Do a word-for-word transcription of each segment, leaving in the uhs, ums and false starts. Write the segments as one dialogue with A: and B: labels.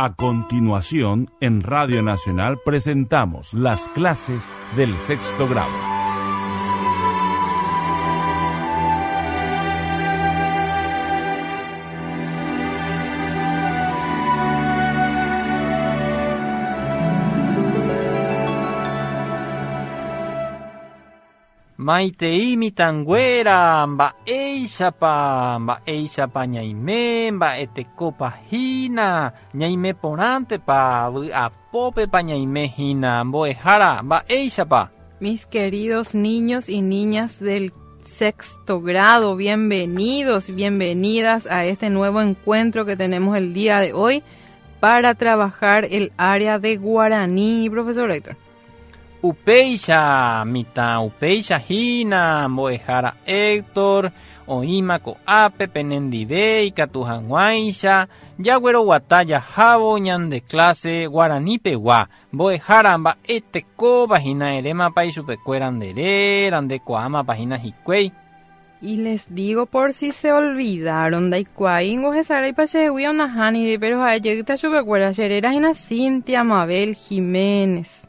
A: A continuación, en Radio Nacional presentamos las clases del sexto grado.
B: Maitei mitãnguéra, mba'éichapa, mba'éichapa ñaime, mba'etekópa hína, ñaime porãntepa, vy'apópepa ñaime hína, mbo'ehára, mba'éichapa.
C: Mis queridos niños y niñas del sexto grado, bienvenidos, bienvenidas a este nuevo encuentro que tenemos el día de hoy para trabajar el área de guaraní, profesor Héctor.
B: Upéicha mitã, upéicha hína, mbo'ehára Héctor, oĩma ko'ápe penendive ikatu hag̃uáicha, jagueroguata jahávo ñande clase guaranípegua, mbo'ehára mba'etekópa hína erémapa ichupekuéra nde réra, ndekuaámapa hína hikuái.
C: Y les digo por si se olvidaron, ndaikuaáingo hesaraipa chehegui onahániri, pero ha'ejeyta chupekuéra che réra hína Cintia Mabel Jiménez.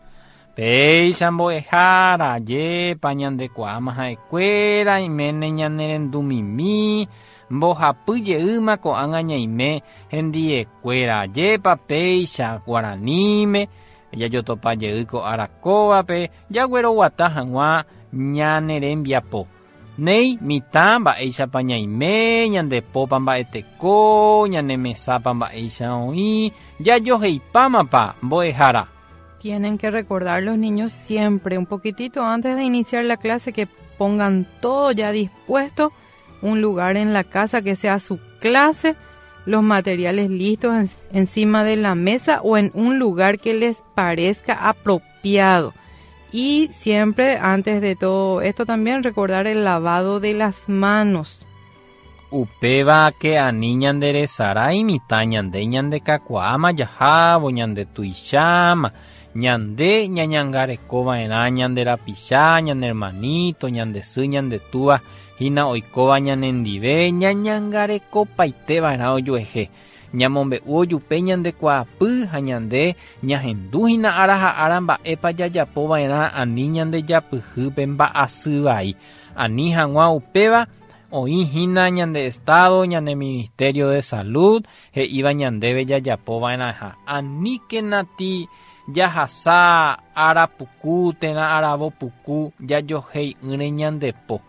B: Péicha mbo'ehára, jépa ñandekuaáma ha'ekuéra, iméne ñanerendumimi, mbohapy jeýma ko'ág̃a ñaime hendiekuéra, jépa péicha guaraníme, jajotopa jey ko'ára kóvape, jagueroguata hag̃ua ñanerembiapo. Néi mitã mba'éichapa ñaime, ñandepópa mba'eteko, ñanemesápa mba'éicha oĩ, jajoheipámapa mbo'ehára.
C: Tienen que recordar los niños siempre, un poquitito antes de iniciar la clase, que pongan todo ya dispuesto, un lugar en la casa que sea su clase, los materiales listos en, encima de la mesa o en un lugar que les parezca apropiado. Y siempre, antes de todo esto también, recordar el lavado de las manos.
B: Upéva ke ani ñanderesarái mitã ñande ñandekakuaáma jahávo ñandetuicháma, ñande ñañangarekova'erã ñanderapicha, ñane hermanito, ñande sy, ñande túva, hína oikóva ñanendive, ñañangarekopaiteva'erã ojuehe. Ñamombe'u ojupe ñandekuaapy ha ñande ñahendu hína ára ha ára mba'épa jajapova'erã ani ñandejapyhýpe mba'asyvai. Ani hag̃ua upéva oĩ hína ñande Estado, ñane Ministerio de Salud, he'íva ñandéve jajapova'erãha. Aníkenati jahasa ára puku térã aravo puku jajohei'ỹre ñandepo.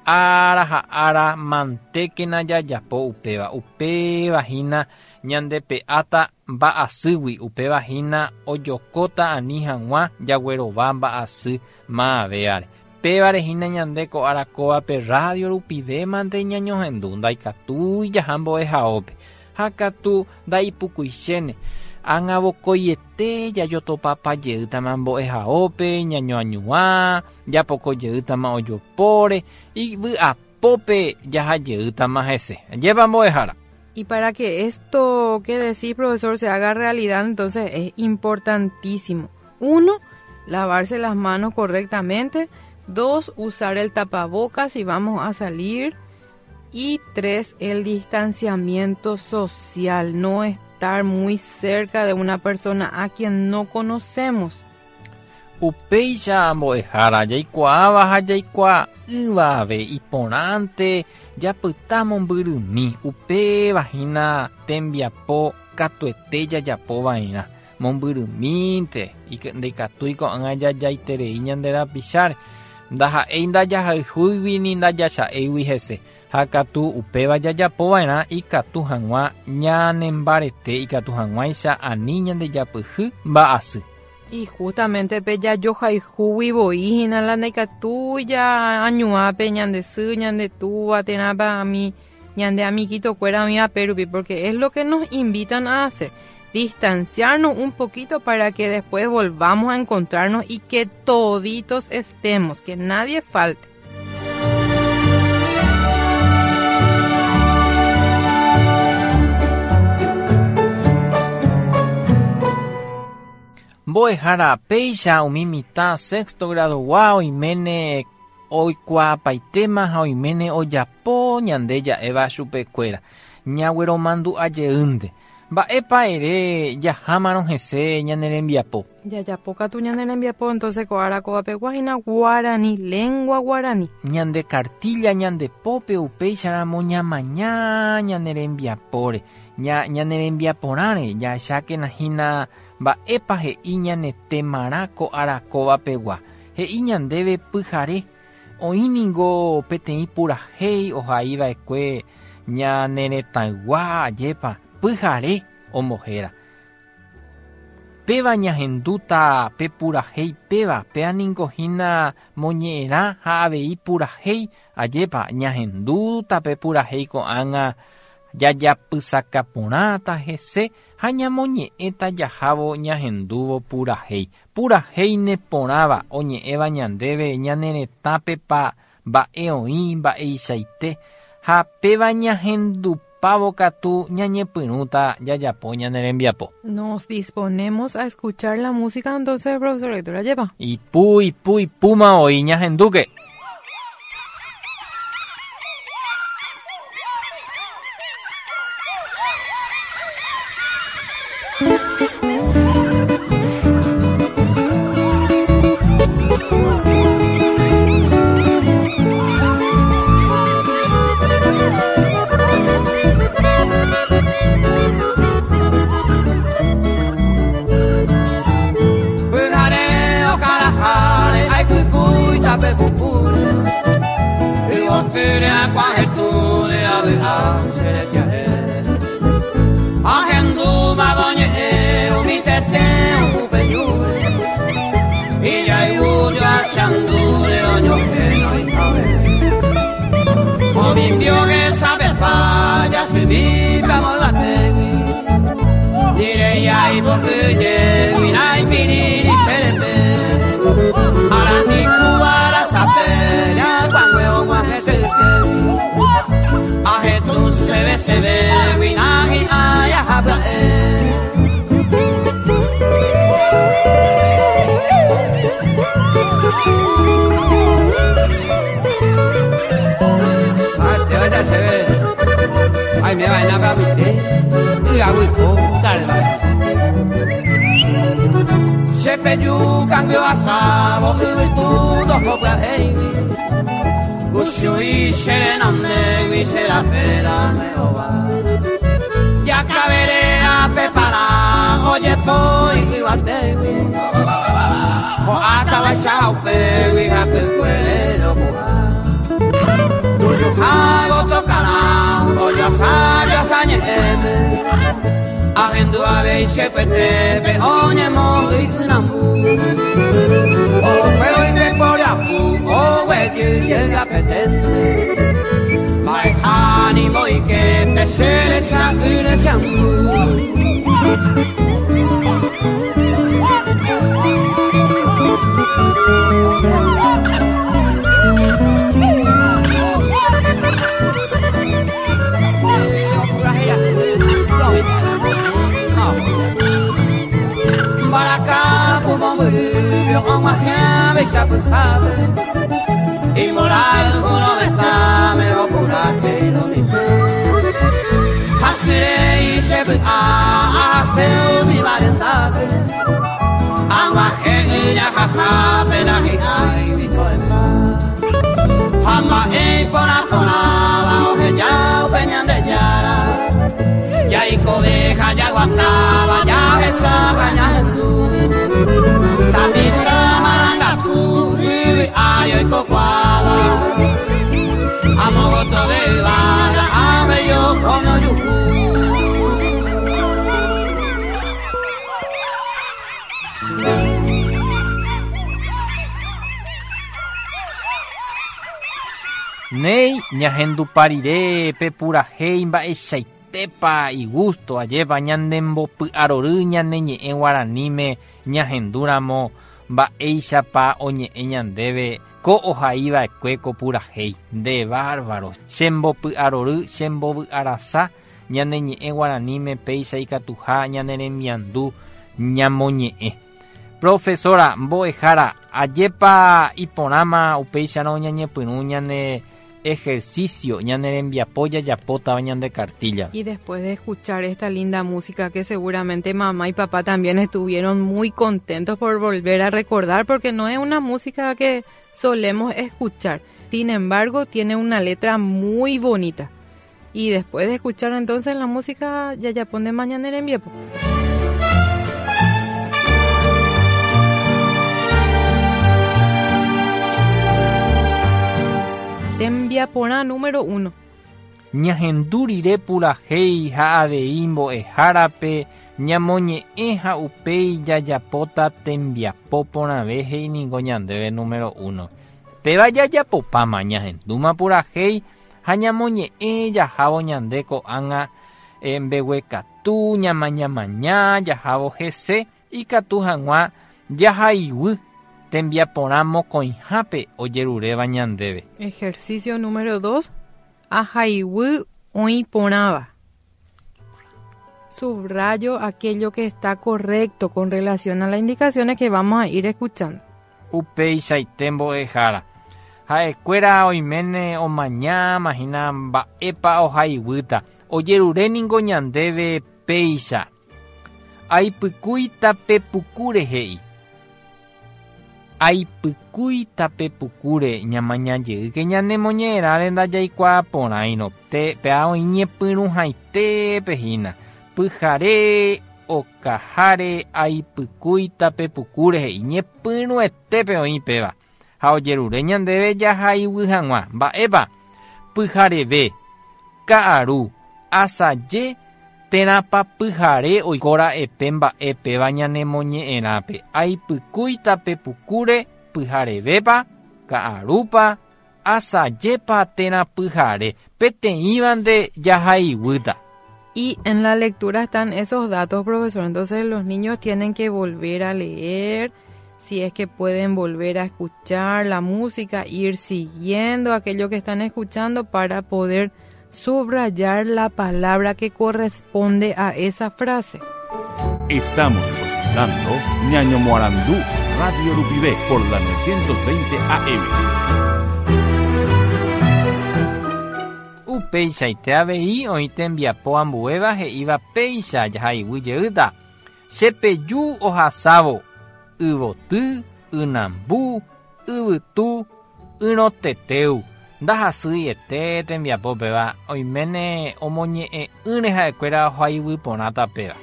B: Ára ha ára mantékena jajapo upéva. Upéva hína ñandepe'áta mba'asýgui, upéva hína ojokóta ani hag̃ua jaguerova mba'asy maavéare. Pévare hína ñande ko'ára kóvape radio rupive mante ñañohendu, ndaikatúi jaha mbo'ehaópe. Ha katu ndaipukuichéne. Ág̃a vokoiete jajotopapa jeýtama mbo'ehaópe, ñañoañuã, japoko jeýtama ojopóre, ivy'apópe jaha jeýtama hese. Ajépa mbo'ehára.
C: Y para que esto que decís, profesor, se haga realidad, entonces es importantísimo. Uno, lavarse las manos correctamente. Dos, usar el tapabocas si vamos a salir. Y tres, el distanciamiento social, no estar muy cerca de una persona a quien no conocemos.
B: Upéicha mbo'ehára jaikuaáva ha jaikuaa'ỹvave iporãnte japyta mombyrymi, upéva hína tembiapo katuete jajapova'erã. Mombyrymínte ndaikatúi ko'ág̃a jajaiterei ñande rapicháre, ndaha'éi ndajahayhúigui ni ndajacha'éigui hese. Ha katu upéva jajapova'erã ikatu hag̃ua ñanembarete, ikatu hag̃uáicha ani ñandejapyhy mba'asy.
C: Y justamente pe jajohayhúgui voi hína la ndaikatúi añuápe ñande sy, ñande túva, térãpa ami, ñande amiguitokuéra oĩvape rupi, porque es lo que nos invitan a hacer, distanciarnos un poquito para que después volvamos a encontrarnos y que toditos estemos, que nadie falte.
B: Mbo'ehára péicha umi mitã sexto gradogua oiméne oikuaapaitéma ha oiméne ojapo ñande ja'éva chupekuéra. Ñagueromandu'a jeýnte. Mba'épa ere jahámarõ hese ñane rembiapo.
C: Jajapókatu ñane rembiapo, entonces ko ára kóvapegua hína guarani, lengua guarani.
B: Ñande cartilla ñande pópe upéicharamo ñamaña ñane rembiapóre, ña, ñane rembiaporãre, jahechákena hína mba'épa he'i ñane temarã ko ára kóvapegua. He'i ñandéve pyhare, oĩ ningo peteĩ purahéi ohaiva'ekue ñane retãygua ajépa pyhare ombohéra. Péva ñahendúta pe purahéi péva, péa ningo hína moñe'ẽrã ha avei purahéi ajépa ñahendúta pe purahéi ko'ág̃a jajapysakaporãta hese ha ñamoñe'ẽta jahávo ñahendúvo purahéi. Purahéi neporãva oñe'ẽva ñandéve ñane retãpepa mba'e oĩ mba'eichaite ha péva ñahendupávo katu ñañepyrũta jajapo ñane rembiapo.
C: Nos disponemos a escuchar la música entonces, profesor Héctor, lleva.
B: Ipu, ipu, ipúma oĩ ñahendúke. Nei ñahenduparire pe purahéi mba'eichaitépa igusto ajépa ñandembopy'arory ñane ñe'ẽ guaraníme ñahendúramo mba'éichapa oñe'ẽ ñandéve ko ohaiva'ekue ko purahéi nde bárbaro chembopy'arory chembovy'arasa ñane ñe'ẽ guaraníme péicha ikatuha ñane remiandu ñamoñe'ẽ. Profesora mbo'ehára ajépa iporãma upéicharõ ñañepyrũ ñane Ejercicio ñane rembiapo jajapótava ñande cartilla.
C: Y después de escuchar esta linda música que seguramente mamá y papá también estuvieron muy contentos por volver a recordar, porque no es una música que solemos escuchar. Sin embargo, tiene una letra muy bonita. Y después de escuchar entonces la música, jajapónte mañana en rembiapo. Tembiaporã número uno.
B: Ñahendu rire purahéi ha avei mbo'ehárape ñamoñe'ẽ ha upéi jajapóta tembiapo porãve he'i ningo ñandéve número uno. Péva jajapopáma ñahendúma purahéi ha ñamoñe'ẽ jahávo ñande ko'ág̃a mbeguekatu ñamañamaña jahávo hese ikatu hag̃ua jahaiguy tembiaporã mokõihápe ojeruréva ñandéve.
C: Ejercicio número dos. Ahaiguy oĩporãva. Subrayo aquello que está correcto con relación a las indicaciones que vamos a ir escuchando.
B: Upeichaite mbo'ehára. Ha'ekuéra oiméne omañáma hína mba'épa ohaiguýta. Ojerure ningo ñandéve péicha. Aipykúi tape pukúre he'i. Aipykúi tape pukúre ñamañajeýke ñanemoñe'ẽrãre ndajaikuaaporãirõ. Péa oĩñepyrũhaitépe hína. Pyhare okaháre aipykúi tape pukúre he'i. Ñepyrũetépe oĩ péva. Ha ojerure ñandéve jahaiguy hag̃ua. Mba'épa? Pyhareve, ka'aru, asaje, térãpa pyhare oikóra'epe mba'e péva ñanemoñe'ẽrãpe. Aipykúi tape pukúre pyharevépa, ka'arúpa, asajépa térã pyhare. Peteĩvante jahaiguýta.
C: Y en la lectura están esos datos, profesor. Entonces los niños tienen que volver a leer, si es que pueden volver a escuchar la música, ir siguiendo aquello que están escuchando para poder subrayar la palabra que corresponde a esa frase.
A: Estamos presentando Ñaño Moarandú, Radio Rupivé, por la novecientos veinte A M.
B: Upeichaite avei oĩ tembiapo ambuéva he'íva péicha jahaiguy jeýta. Chepeju ohasávo yvoty, ynambu, yvytu, yrõteteu. Ndahasýiete tembiapo péva oiméne omoñe'ẽ'ỹre ha'ekuéra ohaiguy porãta péva.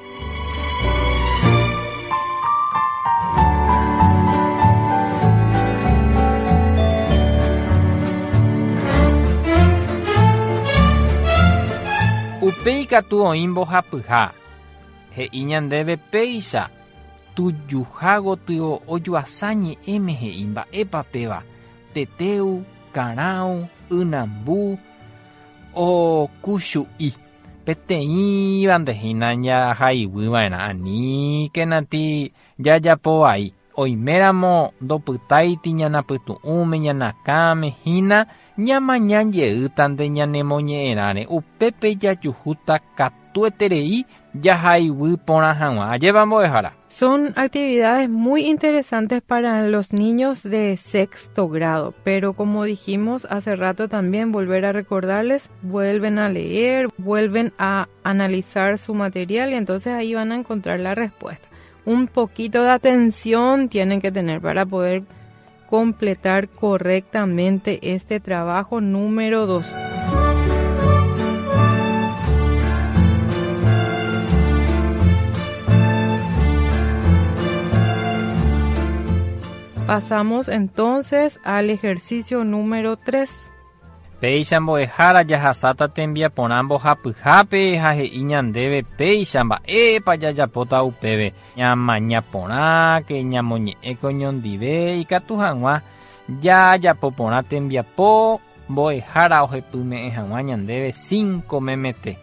B: Upéi katu oĩ mbohapyha. He'i ñandéve péicha. Tujuha gotyo ojuasa ñe'ẽme he'i mba'épa péva. Teteu, karão, ynambu, okuchu'i. Peteĩvante hína jahaiguýva'erã aníkenati jajapovai. Oiméramo ndopytáiti ñanapytu'ũme ñanakãme hína ñamañajeýtante ñanemoñe'ẽrãre. Upépe jajuhúta katueterei jahaiguy porã hag̃ua. Ajépa mbo'ehára.
C: Son actividades muy interesantes para los niños de sexto grado, pero como dijimos hace rato también, volver a recordarles, vuelven a leer, vuelven a analizar su material y entonces ahí van a encontrar la respuesta. Un poquito de atención tienen que tener para poder completar correctamente este trabajo número dos. Pasamos entonces al ejercicio número tres.
B: Péicha mbo'ehára jahasáta tembiaporã mbohapyhápe ha he'i ñandéve péicha mba'épa jajapóta upéve. Ñamañaporãke, ñamoñe'ẽke oñondive ikatu hag̃ua jajapoporã tembiapo mbo'ehára ohepyme'ẽ hag̃ua ñandéve cinco memete.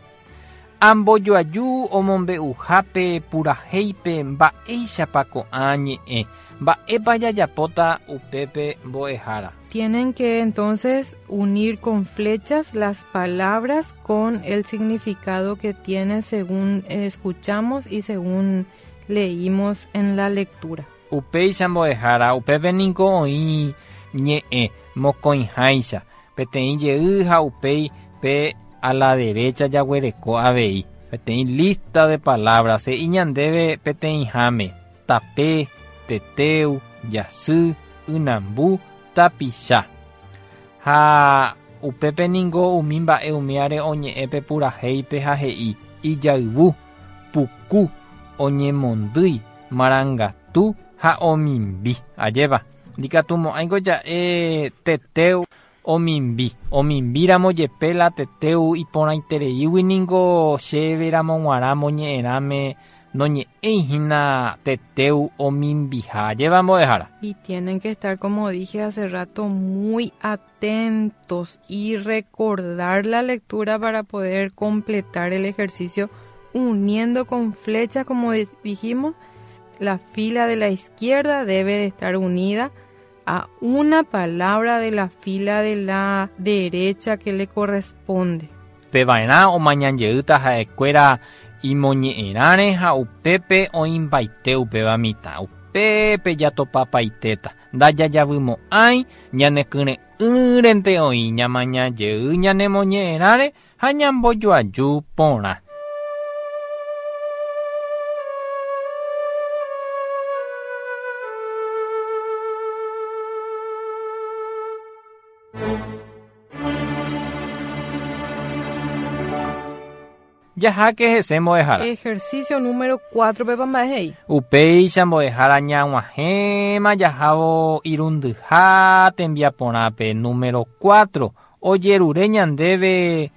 B: Ambojoaju omombe'uhápe purahéipe mba'éichapa ko'ã ñe'ẽ. Mba'épa jajapóta upépe mbo'ehára.
C: Tienen que entonces unir con flechas las palabras con el significado que tiene según escuchamos y según leímos en la lectura.
B: Upéicha mbo'ehára, upépe niko oĩ ñe'ẽ mokõiháicha. Peteĩ jey ha upéi pe a la derecha jaguereko avei. Peteĩ lista de palabras he'i ñandéve peteĩháme tape, teteu, jasy, ynambu, tapicha. Ha upépe ningo umi mba'e umiare oñe'ẽ pe purahéipe ha he'i ijayvu, puku, oñemondýi, marangatu ha omimbi. Ajépa ndikatumo'ãiko ja'e teteu omimbi. Omimbíramo jepe la teteu iporãitereígui ningo chéveramo g̃uarã moñe'ẽrãme noñe'ẽihína teteu omimbiha. Ajépa mbo'ehára.
C: Y tienen que estar, como dije hace rato, muy atentos y recordar la lectura para poder completar el ejercicio uniendo con flechas, como dijimos. La fila de la izquierda debe de estar unida a una palabra de la fila de la derecha que le corresponde.
B: Pevaerã omañanjeýta ha'ekuéra imoñe'ẽrãre ha upépe oĩmbaite upéva mitã. Upépe jatopapaitéta. Ndajajavymo'ãi ñanekyre'ỹrente oĩ ñamañajey ñanemoñe'ẽrãre ha ñambojoaju porã. Jaháke hese mbo'ehára.
C: Ejercicio número cuatro pépa mba'e he'i.
B: Upéicha mbo'ehára ñag̃uahẽma jahávo irundyha tembiaporãpe número cuatro ojerure ñandéve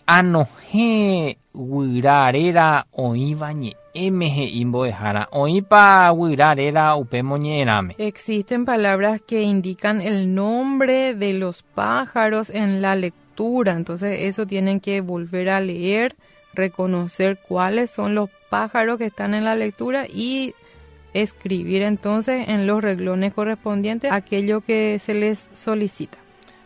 B: anohẽ guyra réra oĩva ñe'ẽme he'i mbo'ehára. Oĩpa guyra réra upe moñe'ẽrãme.
C: Existen palabras que indican el nombre de los pájaros en la lectura. Entonces eso tienen que volver a leer, reconocer cuáles son los pájaros que están en la lectura y escribir entonces en los renglones correspondientes aquello que se les solicita.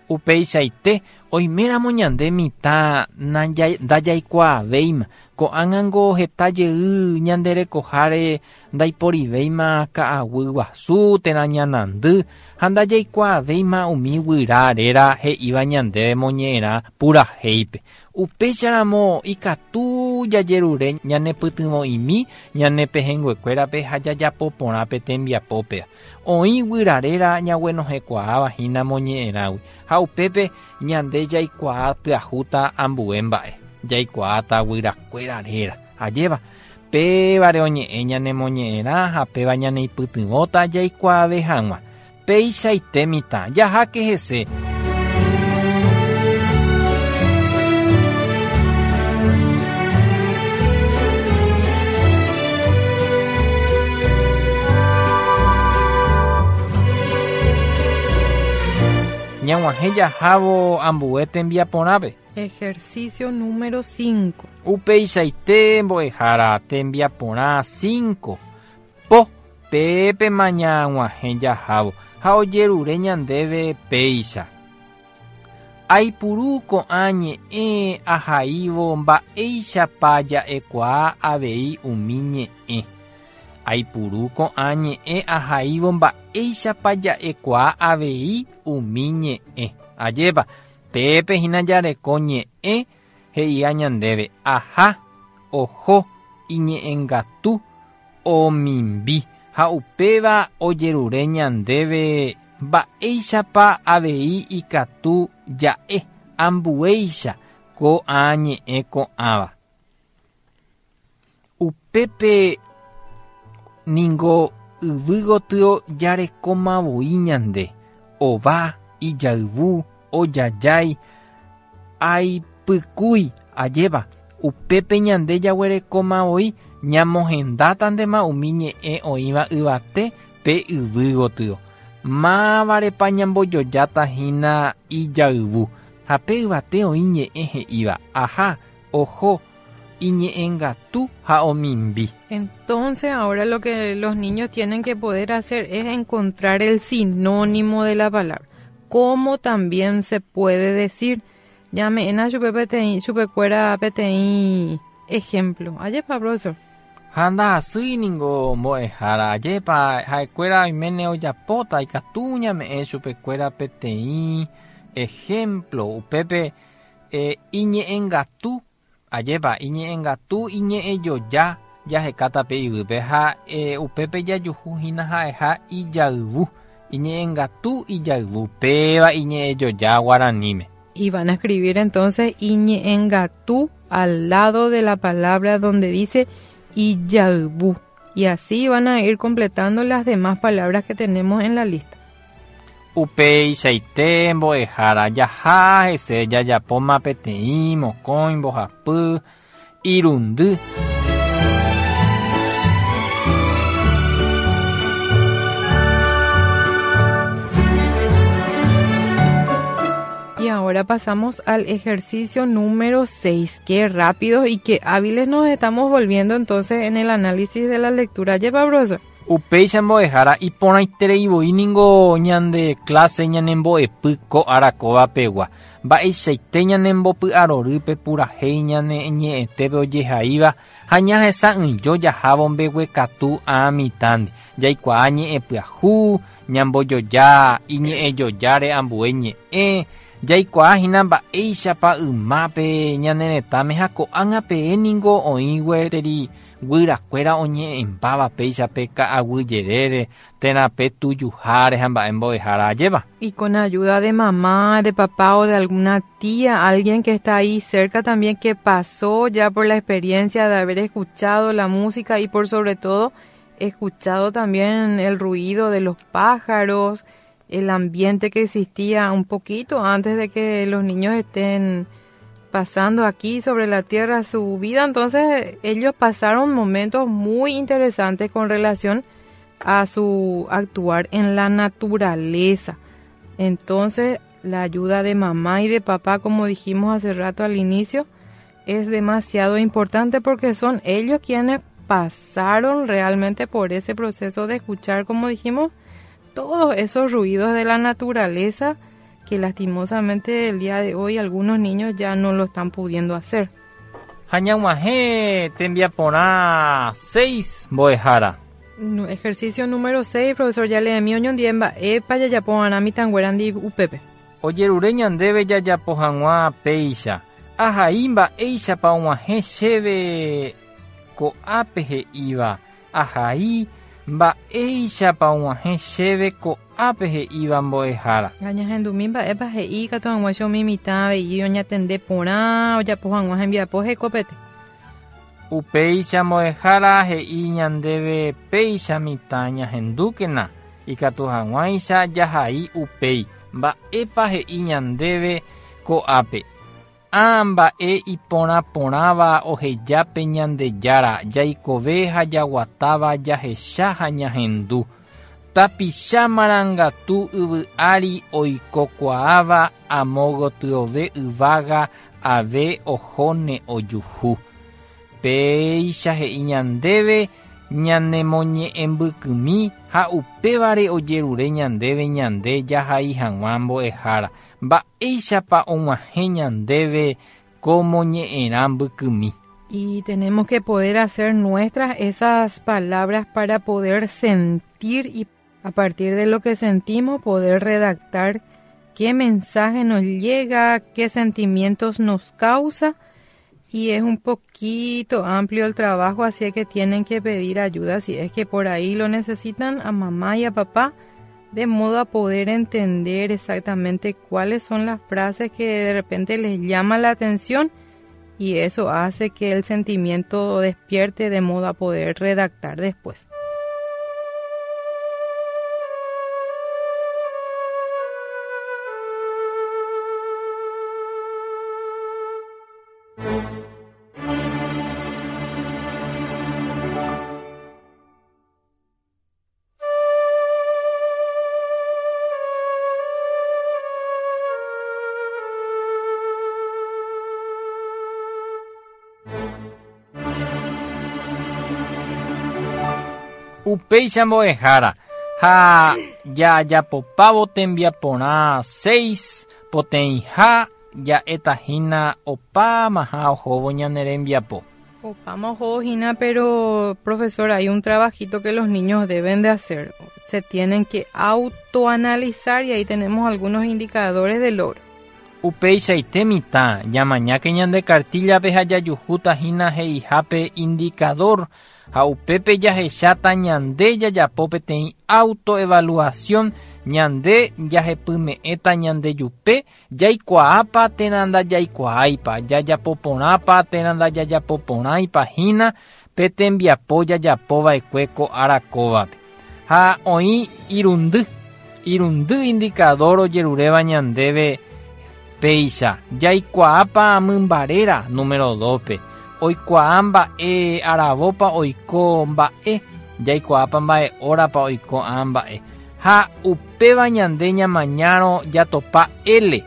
B: Upeichaite oiméramo ñande mitã ndajaikuaavéima ko'ág̃ango heta jey ñanderekoháre ndaiporivéima ka'aguy guasu térã ñanandy ha ndajaikuaavéima umi guyra réra he'íva ñandéve moñe'ẽrã purahéipe. Upéicharamo ikatu jajerure ñanepytyvõ'imi ñanepehẽnguekuérape ha jajapo porã pe tembiapópe. Oĩ guyra réra ñaguenohẽkuaáva hína moñe'ẽrãgui ha upépe ñande jaikuaa pyahúta ambue mba'e. Jaikuaáta guyrakuéra réra. Ajépa pévare oñe'ẽ ñanemoñe'ẽrã ha péva ñaneipytyvõta jaikuaave hag̃ua. Péichaite mitã jaháke hese. Ñag̃uahẽ jahávo ambue tembiaporãpe.
C: Ejercicio número cinco.
B: Upeichaite mbo'ehára tembiaporã cinco. Po pépe mañag̃uahẽ jahávo ha ojerure ñandéve péicha. Aipuru ko'ã ñe'ẽ ahaívo mba'éichapa ja'ekuaa avei umi ñe'ẽ. Aipuru ko'ã ñe'ẽ ahaívo mba'éichapa ja'ekuaa avei umi ñe'ẽ. Ajépa pépe hína jareko ñe'ẽ he'íva ñandéve aha, oho, iñe'ẽngatu, omimbi ha upéva ojerure ñandéve mba'éichapa avei ikatu ja'e ambuéicha ko'ã ñe'ẽ ko'ãva. Upépe ningo yvy gotyo jarekomavoi ñande ova, ijayvu, ojajái, aipykúi ajépa upépe ñande jaguerekomavoi ñamohendátantema umi ñe'ẽ oĩva yvate pe yvy gotyo. Mávarepa ñambojojáta hína ijayvu ha pe yvate oĩ ñe'ẽ he'íva aha, oho, iñe'ẽngatu ha omimbi.
C: Entonces ahora lo que los niños tienen que poder hacer es encontrar el sinónimo de la palabra. Como también se puede decir, ñame'ẽna chupe peteĩ chupekuéra peteĩ ejemplo. Ajépa, profesor.
B: Ha ndahasýi ningo mbo'ehára. Ajépa ha'ekuéra oiméne ojapóta ikatu ñame'ẽ chupekuéra peteĩ Ejemplo, upepe eh, iñe'ẽngatu, ajépa iñe'ẽngatu iñe'ẽjoja jahekatape yvýpe ha eh, upépe jajuhu hína ha'eha ijayvu, iñe'ẽngatu ijayvu, péva iñe'ẽjoja guaraníme.
C: Y van a escribir entonces iñe'ẽngatu al lado de la palabra donde dice ijayvu. Y así van a ir completando las demás palabras que tenemos en la lista.
B: Upeichaite mbo'ehára jaha hese jajapóma peteĩ mokõi mbohapy irundy.
C: Y ahora pasamos al ejercicio número seis. Qué rápidos y qué hábiles nos estamos volviendo entonces en el análisis de la lectura. Lleva, profesor.
B: Upéicha mbo'ehára iporãiterei voi ningo ñande clase ñanembo'epy ko arakóva pegua. Mba'eichaite ñanembopy'arorýpe purahéi ñane ñe'ẽtépe ojehaíva ha ñahesa'ỹijo jahávo mbeguekatu ã mitãndi. Jaikuaa ñe'ẽpyahu, ñambojoja iñe'ẽjojáre ambue ñe'ẽ, jaikuaa hína mba'éichapa ymápe ñane retãme ha ko'ág̃a peẽ ningo oĩ gueteri guyrakuéra oñe'ẽmbáva péichape ka'aguyjerére térã pe tujuháre ha mba'e mbo'ehára ajépa.
C: Y con ayuda de mamá, de papá o de alguna tía, alguien que está ahí cerca también que pasó ya por la experiencia de haber escuchado la música y por sobre todo escuchado también el ruido de los pájaros, el ambiente que existía un poquito antes de que los niños estén pasando aquí sobre la tierra su vida. Entonces ellos pasaron momentos muy interesantes con relación a su actuar en la naturaleza. Entonces la ayuda de mamá y de papá, como dijimos hace rato al inicio, es demasiado importante porque son ellos quienes pasaron realmente por ese proceso de escuchar, como dijimos, todos esos ruidos de la naturaleza que lastimosamente el día de hoy algunos niños ya no lo están pudiendo hacer.
B: Ha ñag̃uahẽ tembiaporã seis mbo'ehára.
C: No, ejercicio número seis, profesor, ya leemi oñondive mba'épa jajapo'arã mitãnguérandi upépe.
B: Ojerure ñandéve jajapo hag̃ua péicha. Ahai mba'éichapa og̃uahẽ chéve ko'ápe he'íva. Ahai mba'éichapa og̃uahẽ chéve ko'ápe he'íva mbo'ehára.
C: Ñahendumi mba'épa he'i katu hag̃ua che umi mitã avei oñatende porã ojapo hag̃ua hembiapo hekopete.
B: Upéicha mbo'ehára he'i ñandéve péicha mitã ñahendúkena ikatu hag̃uáicha jahai upéi. Mba'épa he'i ñandéve ko'ápe. Ã mba'e iporãporãva ohejápe Ñandejára jaikove ha jaguatáva jahecha ha ñahendu. Tapicha marangatu yvy ári oikokuaáva amo gotyove yvága ave ohóne ojuhu. Péicha he'i ñandéve ñanemoñe'ẽmbykymi ha upévare ojerure ñandéve ñande jahai hag̃ua mbo'ehára. Mba'éichapa og̃uahẽ ñandéve ko moñe'ẽrã mbykymi.
C: Y tenemos que poder hacer nuestras esas palabras para poder sentir y a partir de lo que sentimos poder redactar qué mensaje nos llega, qué sentimientos nos causa. Y es un poquito amplio el trabajo, así que tienen que pedir ayuda si es que por ahí lo necesitan a mamá y a papá, de modo a poder entender exactamente cuáles son las frases que de repente les llama la atención y eso hace que el sentimiento despierte de modo a poder redactar después.
B: Upéicha mbo'ehára ha jajapopávo tembiaporã seis poteĩha ja'etahína opámaha ohóvo ñane rembiapo.
C: Opama hína, pero profesor, hay un trabajito que los niños deben de hacer. Se tienen que autoanalizar y ahí tenemos algunos indicadores de logro.
B: Upeichaite mitã, ñamañáke ñande cartillape ha jajuhúta hína he'ihápe indicador ha upépe jahecháta ñande jajapo peteĩ autoevaluación ñande jahepyme'ẽta ñandejupe jaikuaápa térã ndajaikuaáipa jajapoporãpa térã ndajajapoporãipa hína pe tembiapo jajapova'ekue ko ára kóvape. Ha oĩ irundy, irundy indicador ojeruréva ñandéve péicha jaikuaápa mymbaréra número dos-pe oikuaa mba'e aravópa oiko mba'e jaikuaápa mba'e hórapa oiko ã mba'e ha upéva ñande ñamañárõ jatopa L,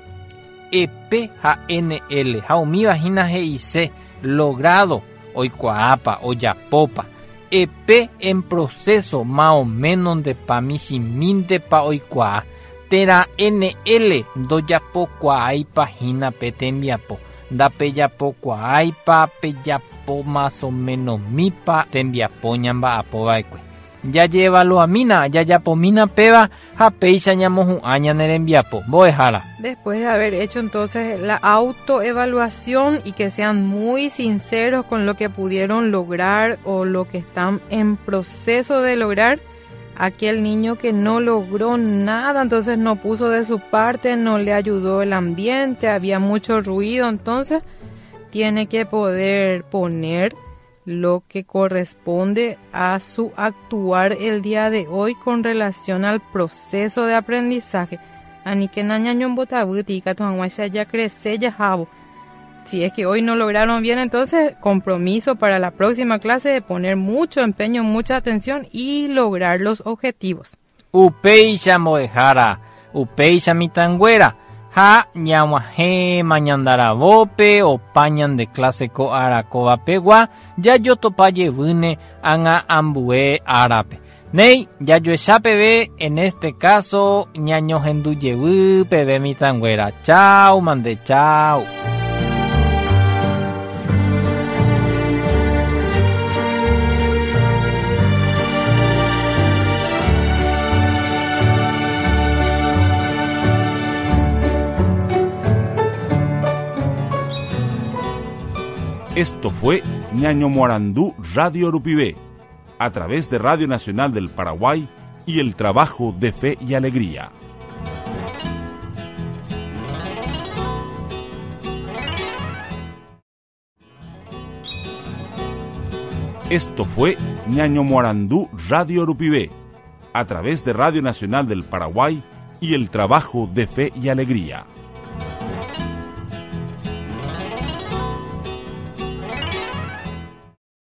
B: E P ha N L ha umíva hína he'ise logrado oikuaápa ojapópa E P en proceso más o menos ndepa michĩmíntepa oikuaa térã N L ndojapokuaáipa hína pe tembiapo ndapejapokuaáipa pejapo más o menos mípa tembiapo ñamba'apova'ekue. Jajevaluamína, jajapomína péva ha péicha ñamohu'ã ñane rembiapo. Mbo'ehára.
C: Después de haber hecho entonces la autoevaluación y que sean muy sinceros con lo que pudieron lograr o lo que están en proceso de lograr, aquel niño que no logró nada, entonces no puso de su parte, no le ayudó el ambiente, había mucho ruido, entonces tiene que poder poner lo que corresponde a su actuar el día de hoy con relación al proceso de aprendizaje. Si es que hoy no lograron bien, entonces compromiso para la próxima clase de poner mucho empeño, mucha atención y lograr los objetivos.
B: Upéicha mbo'ehára, upéicha mitãnguéra, ha ñag̃uahẽ mañandaravópe opa ñande clase ko ára kóvapegua jajotopa jevýne ág̃a ambue árape. Néi, jajoecha peve, en este caso ñañohendu jevy peve mitãnguéra. Chau, mande, chau.
A: Esto fue Ñaño Morandú Radio Rupivé, a través de Radio Nacional del Paraguay y el trabajo de Fe y Alegría. Esto fue Ñaño Morandú Radio Rupivé, a través de Radio Nacional del Paraguay y el trabajo de Fe y Alegría.